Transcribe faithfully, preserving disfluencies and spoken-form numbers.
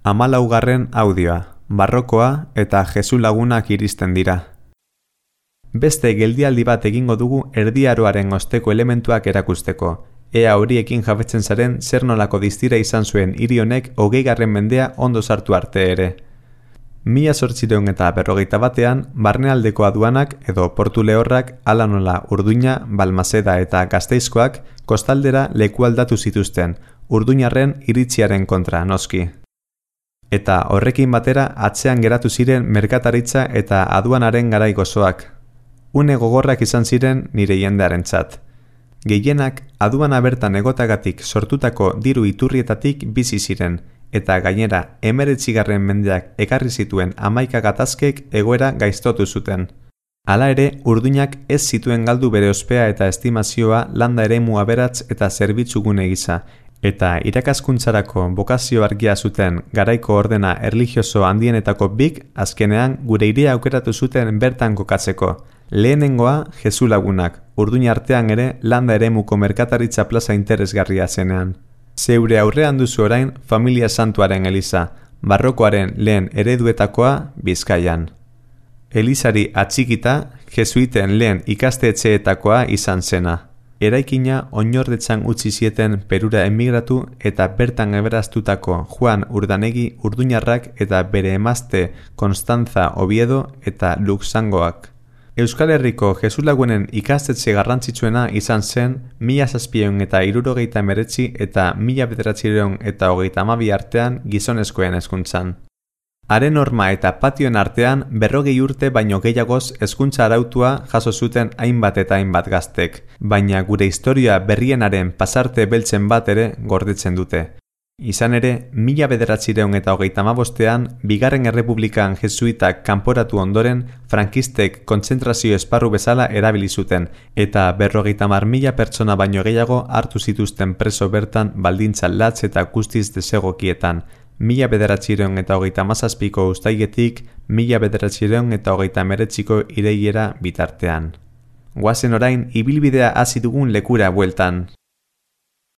Hamalaugarren audioa, barrokoa eta Jesu lagunak iristen dira. Beste geldialdi bat egingo dugu Erdi Aroaren osteko elementuak erakusteko, ea horiekin jabetzen zaren zer nolako distira izan zuen hiri honek hogeigarren mendea ondo sartu arte ere. Mila zortziehun eta berrogeita batean, barnealdeko aduanak edo portu lehorrak hala nola Urduña, Balmaseda eta Gasteizkoak kostaldera leku aldatu zituzten, urduñarren iritziaren kontra noski. Eta horrekin batera atzean geratu ziren merkataritza eta aduanaren garai gozoak. Une gogorrak izan ziren nire jendearentzat. Gehienak aduana bertan egotagatik sortutako diru iturrietatik bizi ziren, eta gainera hemeretzigarren mendeak ekarri zituen hamaika gatazkek egoera gaiztotu zuten. Hala ere, Urduñak ez zituen galdu bere ospea eta estimazioa landa eremu aberats eta zerbitzugune gisa, eta irakaskuntzarako bokazio argia zuten garaiko ordena erlijioso handienetako bik azkenean gure hiria aukeratu zuten bertan kokatzeko. Lehenengoa Jesu lagunak, Urduña artean ere landa eremuko merkataritza plaza interesgarria zenean. Zeure aurrean duzu orain Familia Santuaren eliza, barrokoaren lehen ereduetakoa Bizkaian. Elizari atxikita, jesuiten lehen ikastetxeetakoa izan zena. Eraikina oinordetzan utzi zieten Perura emigratu eta bertan eberaztutako Juan Urdanegi urduñarrak eta bere emazte Konstantza Oviedo eta Luxangoak. Euskal Herriko Jesu lagunen ikastetxe garrantzitsuena izan zen mila zazpiehun eta hirurogeita hemeretzi eta mila bederatziehun eta hogeita hamabi artean gizonezkoen hezkuntzan. Haren horma eta patioen artean berrogei urte baino gehiagoz hezkuntza arautua jaso zuten hainbat eta hainbat gaztek, baina gure historia berrienaren pasarte beltzen bat ere gordetzen dute. Izan ere, mila bederatziehun eta hogeita hamabostean, bigarren errepublikan jesuitak kanporatu ondoren, frankistek kontzentrazio esparru bezala erabili zuten, eta berrogeita hamar mila pertsona baino gehiago hartu zituzten preso bertan baldintza latz eta guztiz desegokietan, mila bederatziehun eta hogeita hamazazpiko uztailetik, mila bederatziehun eta hogeita hemeretziko ireilera bitartean. Goazen orain ibilbidea hasi dugun lekura bueltan.